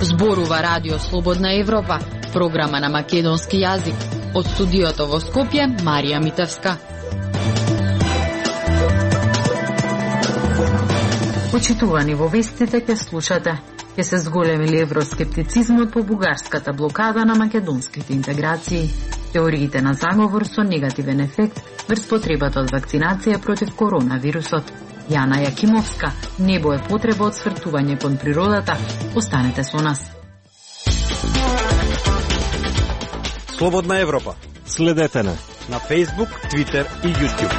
Зборува Радио Слободна Европа, програма на македонски јазик. Од студиото во Скопје, Марија Митевска. Почитувани, во вестите ќе слушате: ќе се зголеми ли евроскептицизмот по бугарската блокада на македонските интеграции, теориите на заговор со негативен ефект врз потребата од вакцинација против коронавирусот. Јана Јакимовска, небо е потреба од свртување кон природата. Останете со нас. Слободна Европа. Следете на Facebook, Twitter и YouTube.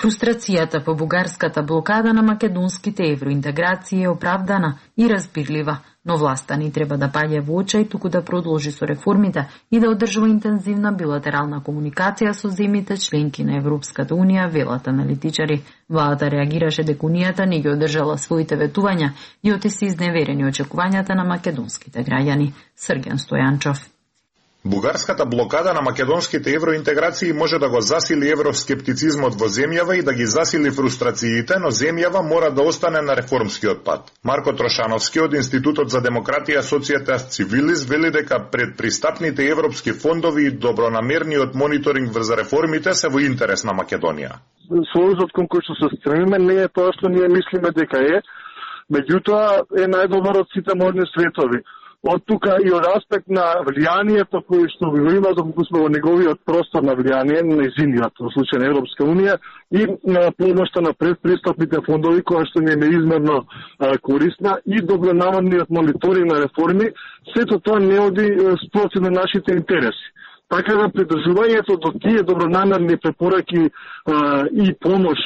Фрустрацијата по бугарската блокада на македонските евроинтеграции е оправдана и разбирлива, но власта ни треба да паѓа во очај туку да продолжи со реформите и да одржува интензивна билатерална комуникација со земјите членки на Европската Унија, велат аналитичари. Владата реагираше дека Унијата не ги одржала своите ветувања и оти се изневерени очекувањата на македонските граѓани. Срген Стојанчов. Бугарската блокада на македонските евроинтеграции може да го засили евроскептицизмот во земјава и да ги засили фрустрациите, но земјава мора да остане на реформскиот пат. Марко Трошановски од Институтот за демократија Societas Civilis вели дека предпристапните европски фондови и добронамерниот мониторинг врз реформите се во интерес на Македонија. Сојузот кон кој што се стремиме не е тоа што ние мислиме дека е, меѓутоа е најдобар од сите можни светови. Од тука и од аспект на влијанието кој што го има, доколку сме во неговиот простор на влијание, нејзиниот, во случај на Европска Унија, и на помошта на предпристапните фондови, која што ни е неизмерно корисна, и добронамерниот мониторинг на реформи, сето тоа не оди спротив на нашите интереси. Така да придржувањето до тие добронамерни препораки и помош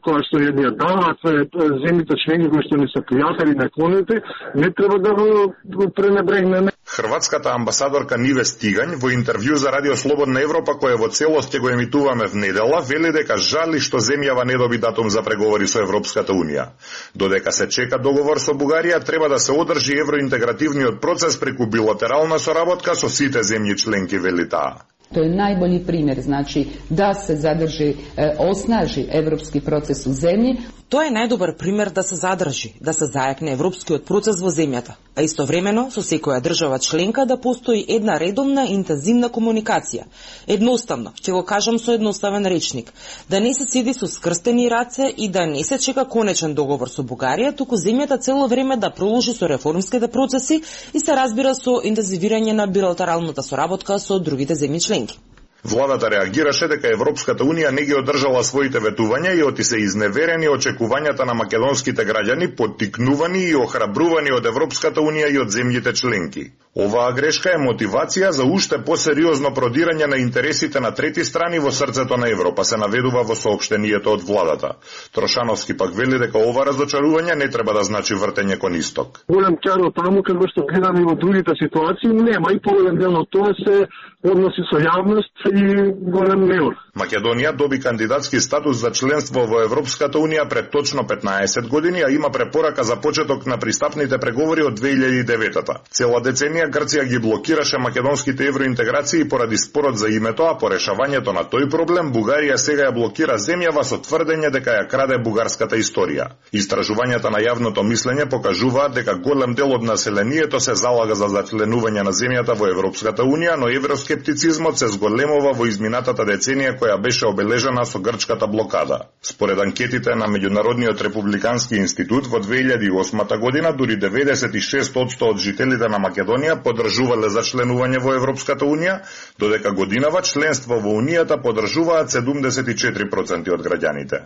која што ја даваат земјите членки кои што ни се пријатели наклонети, не треба да го пренебрегнеме. Хрватската амбасадорка Ниве Стигањ во интервју за Радио Слободна Европа, кој во целост ќе го емитуваме внедела, вели дека жали што земјава не доби датум за преговори со Европската Унија. Додека се чека договор со Бугарија, треба да се одржи евроинтегративниот процес преку билатерална соработка со сите земји членки, вели таа. To je najbolji primjer, znači da se zadrži, osnaži evropski proces u zemlji. Тоа е најдобар пример да се задржи, да се зајакне европскиот процес во земјата, а истовремено со секоја држава членка да постои една редовна интензивна комуникација. Едноставно, ќе го кажам со едноставен речник, да не се седи со скрстени раце и да не се чека конечен договор со Бугарија, туку земјата цело време да продолжи со реформските процеси и се разбира со интензивирање на билатералната соработка со другите земји членки. Владата реагираше дека Европската Унија не ги одржала своите ветувања и оти се изневерени очекувањата на македонските граѓани, поттикнувани и охрабрувани од Европската Унија и од земјите членки. Оваа грешка е мотивација за уште посериозно продирање на интересите на трети страни во срцето на Европа, се наведува во соопштението од владата. Трошановски пак вели дека ова разочарување не треба да значи вртење кон исток. Голем каро таму како што гледаме во другите ситуации нема и поголем дел од тоа се односи со јавност и голем неур. Македонија доби кандидатски статус за членство во Европската Унија пред точно 15 години, а има препорака за почеток на пристапните преговори од 2009-та. Цела деценија Грција ги блокираше македонските евроинтеграции поради спорот за името, а по решавањето на тој проблем Бугарија сега ја блокира земјава со тврдење дека ја краде бугарската историја. Истражувањата на јавното мислење покажуваат дека голем дел од населението се залага за зачленување на земјата во Европската Унија, но евроскептицизмот се зголемува во изминатата деценија која беше обележана со грчката блокада. Според анкетите на Меѓународниот републикански институт во 2008 година дури 96% од жителите на Македонија поддржувале за членување во Европската Унија, додека годинава членство во Унијата поддржуваат 74% од граѓаните.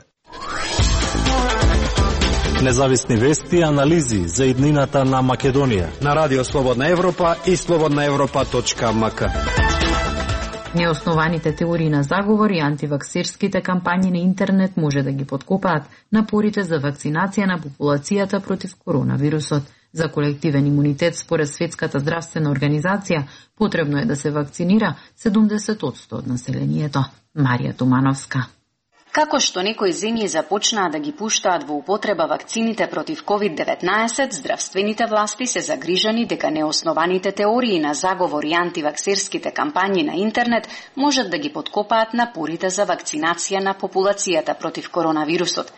Независни вести и анализи за иднината на Македонија на Радио Слободна Европа и slobodnaevropa.mk. Неоснованите теории на заговор и антиваксерските кампањи на интернет може да ги подкопаат напорите за вакцинација на популацијата против коронавирусот. За колективен имунитет според Светската здравствена организација потребно е да се вакцинира 70% од населението. Марија Тумановска. Како што некои земји започнаа да ги пуштаат во употреба вакцините против COVID-19, здравствените власти се загрижани дека неоснованите теории на заговор и антиваксерските кампањи на интернет можат да ги поткопаат напорите за вакцинација на популацијата против коронавирусот.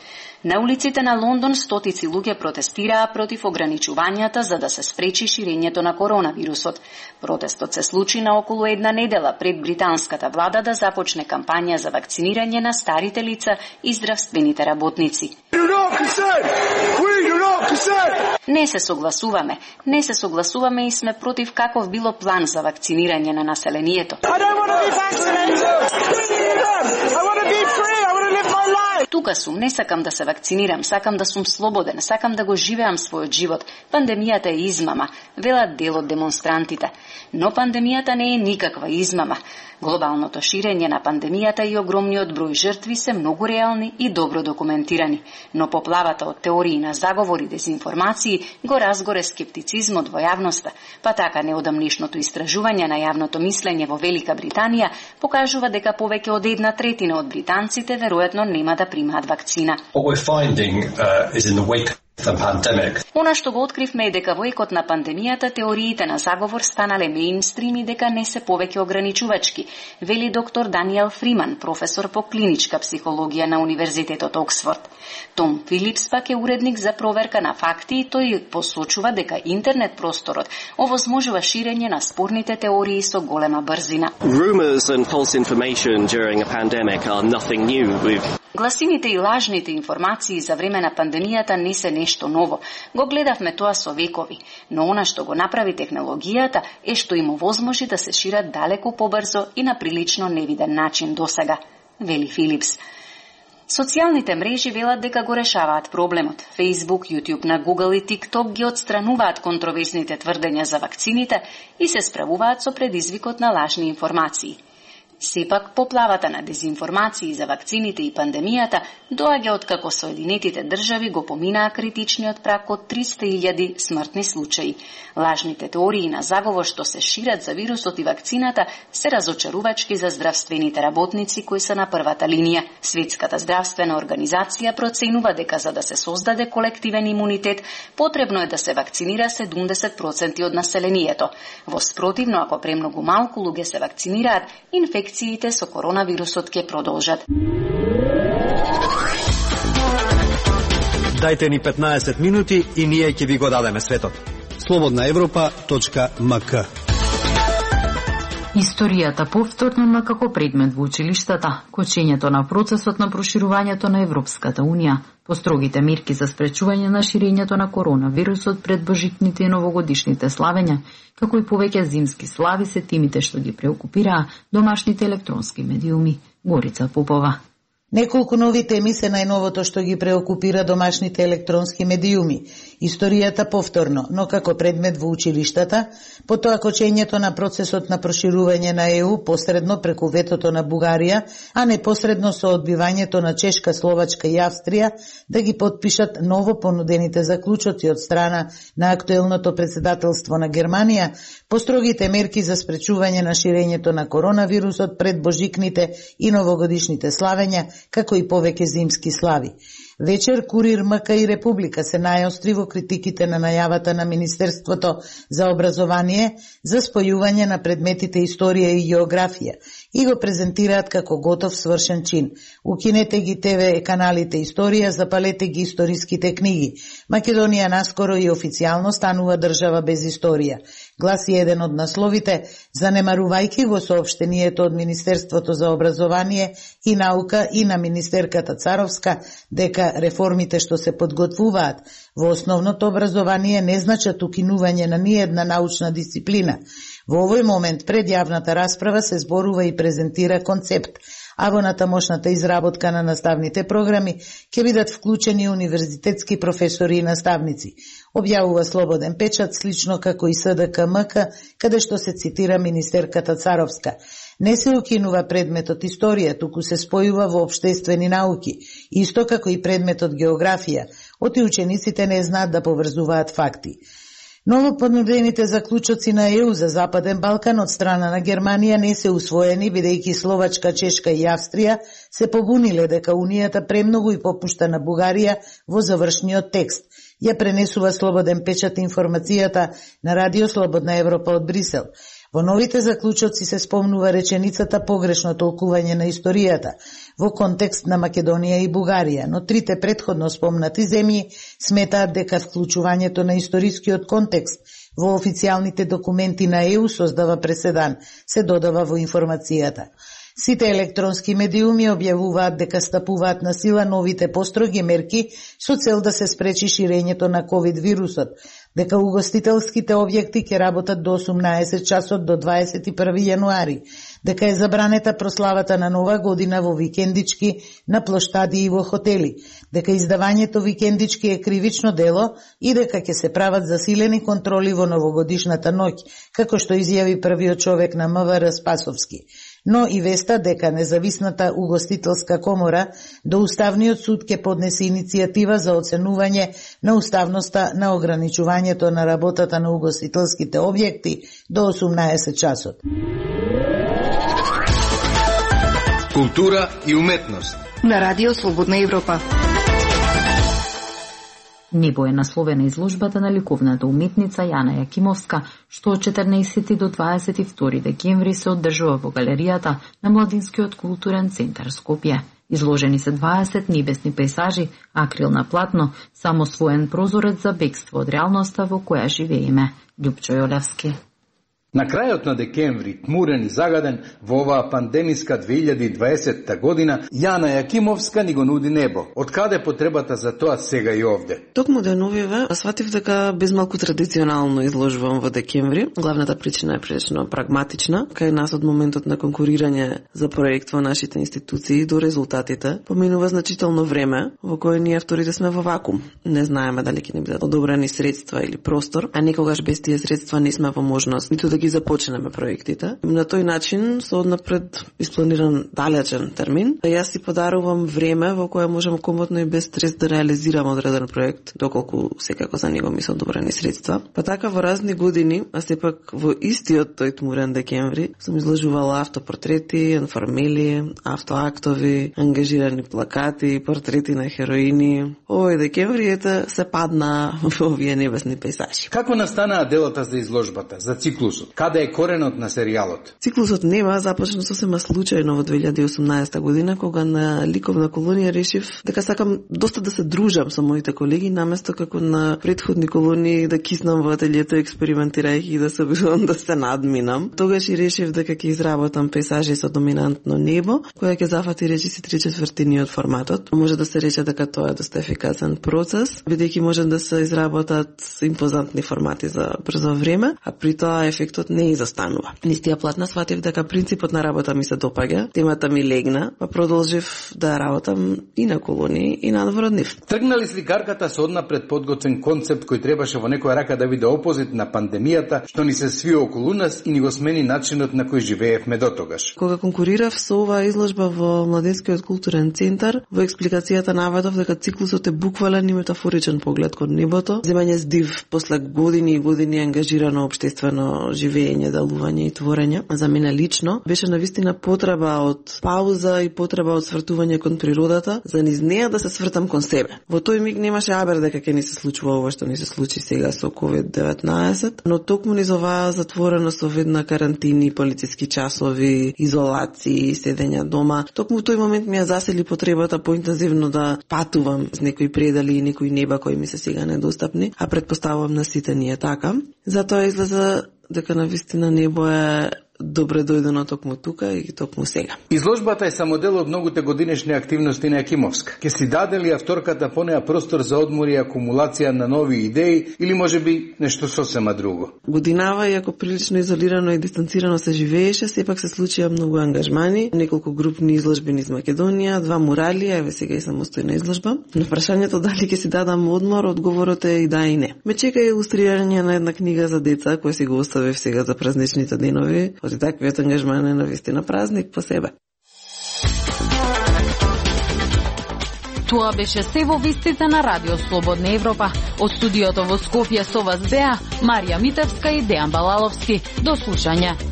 На улиците на Лондон стотици луѓе протестираа против ограничувањата за да се спречи ширењето на коронавирусот. Протестот се случи на околу една недела пред британската влада да започне кампања за вакцинирање на старите лица и здравствените работници. Не се согласуваме и сме против каков било план за вакцинирање на населението. Тука сум, не сакам да се вакцинирам, сакам да сум слободен, сакам да го живеам својот живот. Пандемијата е измама, велат дел од демонстрантите. Но пандемијата не е никаква измама. Глобалното ширење на пандемијата и огромниот број жртви се многу реални и добро документирани. Но поплавата од теории на заговори и дезинформации го разгоре скептицизмот во јавноста. Па така неодамнешното истражување на јавното мислење во Велика Британија покажува дека повеќе од 1/3 од британците веројатно нема да примаат вакцина. Она што го откривме е дека во екот на пандемијата теориите на заговор станале меинстрим и дека не се повеќе ограничувачки, вели доктор Даниел Фриман, професор по клиничка психологија на Универзитетот Оксфорд. Том Филипс пак е уредник за проверка на факти и тој посочува дека интернет просторот овозможува ширење на спорните теории со голема брзина. Гласините и лажните информации за време на пандемијата не се нешто ново. Го гледавме тоа со векови, но она што го направи технологијата е што им овозможи да се шират далеку побрзо и на прилично невиден начин досега, вели Филипс. Социјалните мрежи велат дека го решаваат проблемот. Facebook, YouTube на Google и TikTok ги отстрануваат контроверзните тврдења за вакцините и се справуваат со предизвикот на лажни информации. Сепак, поплавата на дезинформации за вакцините и пандемијата доаѓа од како Соединетите држави го поминаа критичниот праг од 300.000 смртни случаи. Лажните теории на заговор што се шират за вирусот и вакцината се разочарувачки за здравствените работници кои се на првата линија. Светската здравствена организација проценува дека за да се создаде колективен имунитет, потребно е да се вакцинира 70% од населението. Во спротивно, ако премногу малку луѓе се вакцинираат, инфекциите со коронавирусот ќе продолжат. Дајте ни 15 минути и ние ќе ви го дадеме светот. slobodnaevropa.mk Историјата повторно како предмет во училиштата, кочењето на процесот на проширувањето на Европската Унија, построгите мерки за спречување на ширењето на коронавирусот пред божитните и новогодишните славења, како и повеќе зимски слави се темите што ги преокупираа домашните електронски медиуми. Горица Попова. Неколку нови теми се најновото што ги преокупира домашните електронски медиуми. Историјата повторно, но како предмет во училиштата, потоа кочењето на процесот на проширување на ЕУ посредно преку ветото на Бугарија, а непосредно со одбивањето на Чешка, Словачка и Австрија да ги потпишат ново понудените заклучоци од страна на актуелното председателство на Германија, построгите мерки за спречување на ширењето на коронавирусот пред божикните и новогодишните славења, како и повеќе зимски слави. Вечер Курир, МК и Република се најостри во критиките на најавата на Министерството за образование за спојување на предметите историја и географија и го презентираат како готов свршен чин. Укинете ги ТВ каналите историја, запалете ги историските книги. Македонија наскоро и официјално станува држава без историја. Гласи еден од насловите, занемарувајќи го соопштението од Министерството за образование и наука и на министерката Царовска дека реформите што се подготвуваат во основното образование не значат укинување на ниедна научна дисциплина. Во овој момент пред јавната расправа се зборува и презентира концепт, а во натамошната изработка на наставните програми ќе бидат вклучени универзитетски професори и наставници. Објавува Слободен печат, слично како и СДК-МК, каде што се цитира министерката Царовска. Не се укинува предметот историја, туку се спојува во општествени науки, исто како и предметот географија, оти учениците не знаат да поврзуваат факти. Новопонудените заклучоци на ЕУ за Западен Балкан од страна на Германија не се усвоени, бидејќи Словачка, Чешка и Австрија се побуниле дека Унијата премногу и попушта на Бугарија во завршниот текст. Ја пренесува Слободен печат информацијата на Радио Слободна Европа од Брисел. Во новите заклучоци се спомнува реченицата погрешно толкување на историјата во контекст на Македонија и Бугарија, но трите претходно спомнати земји сметаат дека вклучувањето на историскиот контекст во официјалните документи на ЕУ создава преседан, се додава во информацијата. Сите електронски медиуми објавуваат дека стапуваат на сила новите построги мерки со цел да се спречи ширењето на ковид вирусот, дека угостителските објекти ќе работат до 18 часот до 21 јануари, дека е забранета прославата на Нова година во викендички, на плоштади и во хотели, дека издавањето викендички е кривично дело и дека ќе се прават засилени контроли во новогодишната ноќ, како што изјави првиот човек на МВР Спасовски. Но и веста дека независната угостителска комора до Уставниот суд ќе поднесе иницијатива за оценување на уставноста на ограничувањето на работата на угостителските објекти до 18 часот. Култура и уметност на Радио Слободна Европа. Небо е насловена изложбата на ликовната уметница Јана Јакимовска, што од 14 до 22 декември се одржува во галеријата на Младинскиот културен центар Скопје. Изложени се 20 небесни пейзажи, акрилна платно, самосвоен прозорец за бегство од реалноста во која живееме. Љупчо Јолевски. На крајот на декември, тмурен и загаден, во оваа пандемиска 2020 година, Јана Јакимовска ни го нуди небо. Од каде потребата за тоа сега и овде? Токму деновиве, сватив дека без малку традиционално изложувам во декември. Главната причина е прилично прагматична. Кај нас од моментот на конкурирање за проект во нашите институции до резултатите, поминува значително време во кое ние авторите сме во вакуум. Не знаеме дали ќе ни бидат одобрени средства или простор, а никогаш без тие средства не сме во можност ниту да ги започнеме проектите. На тој начин, со однапред испланиран далечен термин, јас си подарувам време во кое можам комотно и без стрес да реализирам одреден проект, доколку секако за него ми се одобрени средства. Па така во разни години, а сепак во истиот тој тмурен декември, сум изложувала автопортрети, информели, автоактови, ангажирани плакати, портрети на хероини. Овој декември се падна во овие небесни пейзажи. Како настанаа делата за изложбата, за циклусот? Каде е коренот на серијалот? Циклусот Нема започна сосема случајно во 2018 година, кога на ликовна колонија решив дека сакам доста да се дружам со моите колеги, наместо како на претходни колонии да киснам во ателието експериментирајќи и да се обидувам да се надминам. Тогаш и решив дека ќе изработам пейзажи со доминантно небо, која ќе зафати речиси 3/4 од форматот. Може да се рече дека тоа е доста ефикасен процес, бидејќи може да се изработат импозантни формати за брзо време, а при тоа ефектот не изостанува. Нистија платна сватив дека принципот на работа ми се допаѓа, темата ми легна, па продолжив да работам и на колонии и надвор од нив. Тргнали сликарката со однапред подготвен концепт кој требаше во некоја рака да биде опозит на пандемијата, што ни се сви околу нас и ни го смени начинот на кој живеевме дотогаш. Кога конкурирав со оваа изложба во Младинскиот културен центар, во експликацијата наведов дека циклусот е буквален и метафоричен поглед кон небото, земање здив после години и години ангажирано општествено живење, делување и творење. За мене лично беше навистина потреба од пауза и потреба од свртување кон природата, за низ неа да се свртам кон себе. Во тој миг немаше абер дека ќе ни се случува ова што ни се случи сега со COVID-19, но токму низ оваа затворена со ведна карантини, полициски часови, изолации, седење дома, токму тој момент ми ја засели потребата поинтензивно да патувам с некои предели и некои неба кои ми се сега недостапни, а предпоставувам на сите ние така. Затоа излезе дека навистина небо е добре дојдено токму тука и токму сега. Изложбата е само дел од многуте годинешни активности на Јакимовска. Ке си даде ли авторката по неа простор за одмор и акумулација на нови идеи или можеби нешто сосема друго? Годинава, иако прилично изолирано и дистанцирано се живееше, сепак се случија многу ангажмани, неколку групни изложби низ Македонија, 2 мурали, еве сега и самостојна изложба. На прашањето дали ќе си дадам одмор, одговорот е и да и не. Ме чека илустрирање на една книга за деца, која си го оставив сега за празничните денови. И таквиот ангажман е навистина празник по себе. Тоа беше се во вестите на Радио Слободна Европа. Од студиото во Скопје со вас беа Марија Митевска и Дејан Балаловски. До слушање.